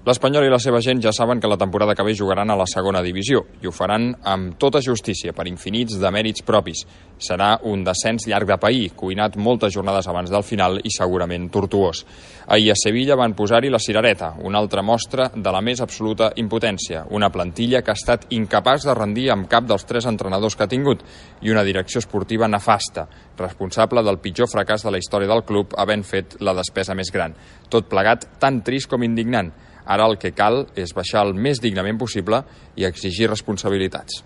L'Espanyol i la seva gent ja saben que la temporada que ve jugaran a la segona divisió i ho faran amb tota justícia, per infinits de mèrits propis. Serà un descens llarg de pair, cuinat moltes jornades abans del final i segurament tortuós. Ahir a Sevilla van posar-hi la cirereta, una altra mostra de la més absoluta impotència, una plantilla que ha estat incapaç de rendir amb cap dels 3 entrenadors que ha tingut i una direcció esportiva nefasta, responsable del pitjor fracàs de la història del club havent fet la despesa més gran. Tot plegat tan trist com indignant. Ara el que cal és baixar el més dignament possible i exigir responsabilitats.